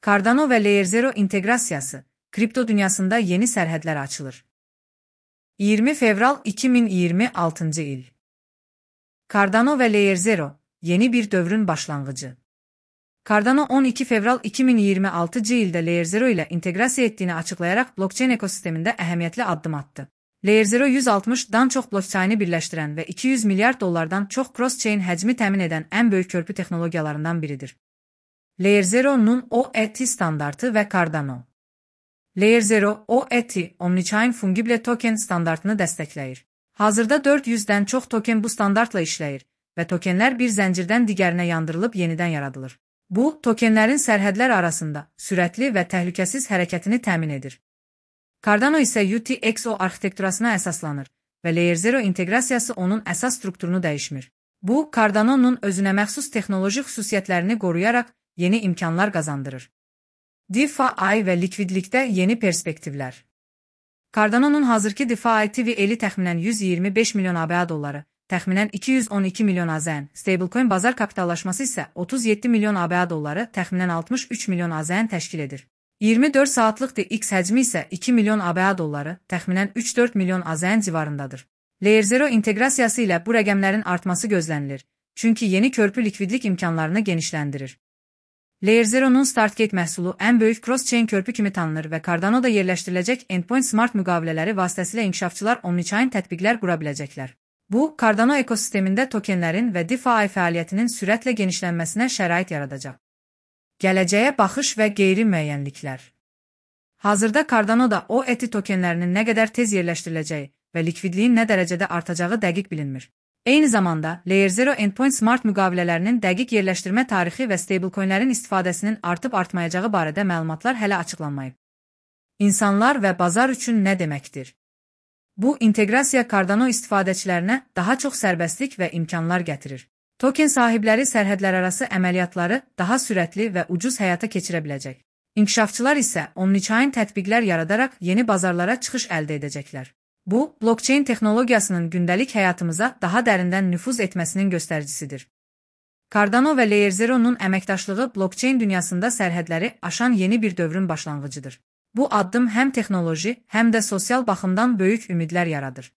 Cardano və Layer Zero inteqrasiyası, kripto dünyasında yeni sərhədlər açılır. 20 fevral 2026 il. Cardano və Layer Zero, yeni bir dövrün başlanğıcı. Cardano 12 fevral 2026 ildə Layer Zero ilə inteqrasiya etdiyini açıqlayaraq blockchain ekosistemində əhəmiyyətli addım atdı. Layer Zero 160-dan çox blockchaini birləşdirən və 200 milyard dollardan çox cross-chain həcmi təmin edən ən böyük körpü texnologiyalarından biridir. Layer Zero'nun OET standartı və Cardano. Layer Zero, OET, Omnichain Fungible Token standartını dəstəkləyir. Hazırda 400-dən çox token bu standartla işləyir və tokenlər bir zəncirdən digərinə yandırılıb yenidən yaradılır. Bu, tokenlərin sərhədlər arasında sürətli və təhlükəsiz hərəkətini təmin edir. Cardano isə UTXO arxitekturasına əsaslanır və Layer Zero inteqrasiyası onun əsas strukturunu dəyişmir. Bu, Cardano'nun özünə məxsus texnoloji xüsusiyyətlərini qoruyaraq yeni imkanlar qazandırır. DeFi və likvidlikdə yeni perspektivlər. Cardano'nun hazırki DeFi TVL təxminən 125 milyon ABA dolları, təxminən 212 milyon AZN, stablecoin bazar kapitallaşması isə 37 milyon ABA dolları, təxminən 63 milyon AZN təşkil edir. 24 saatlıq DX həcmi isə 2 milyon ABA dolları, təxminən 3-4 milyon AZN civarındadır. Layer Zero inteqrasiyası ilə bu rəqəmlərin artması gözlənilir, çünki yeni körpü likvidlik imkanlarını genişləndirir. Layer Zero'nun StartGate məhsulu ən böyük cross-chain körpü kimi tanınır və Cardano'da yerləşdiriləcək Endpoint Smart müqavilələri vasitəsilə inkişafçılar Omnichain tətbiqlər qura biləcəklər. Bu, Cardano ekosistemində tokenlərin və DeFi fəaliyyətinin sürətlə genişlənməsinə şərait yaradacaq. Gələcəyə baxış və qeyri-müəyyənliklər. Hazırda Cardano'da OET tokenlərinin nə qədər tez yerləşdiriləcəyi və likvidliyin nə dərəcədə artacağı dəqiq bilinmir. Eyni zamanda, Layer Zero Endpoint Smart müqavilələrinin dəqiq yerləşdirmə tarixi və stablecoinlərin istifadəsinin artıb-artmayacağı barədə məlumatlar hələ açıqlanmayıb. İnsanlar və bazar üçün nə deməkdir? Bu, inteqrasiya Cardano istifadəçilərinə daha çox sərbəstlik və imkanlar gətirir. Token sahibləri sərhədlərarası əməliyyatları daha sürətli və ucuz həyata keçirə biləcək. İnkişafçılar isə Omnichain tətbiqlər yaradaraq yeni bazarlara çıxış əldə edəcəklər. Bu, blockchain texnologiyasının gündəlik həyatımıza daha dərindən nüfuz etməsinin göstəricisidir. Cardano və Layer Zero'nun əməkdaşlığı blockchain dünyasında sərhədləri aşan yeni bir dövrün başlanğıcıdır. Bu addım həm texnoloji, həm də sosial baxımdan böyük ümidlər yaradır.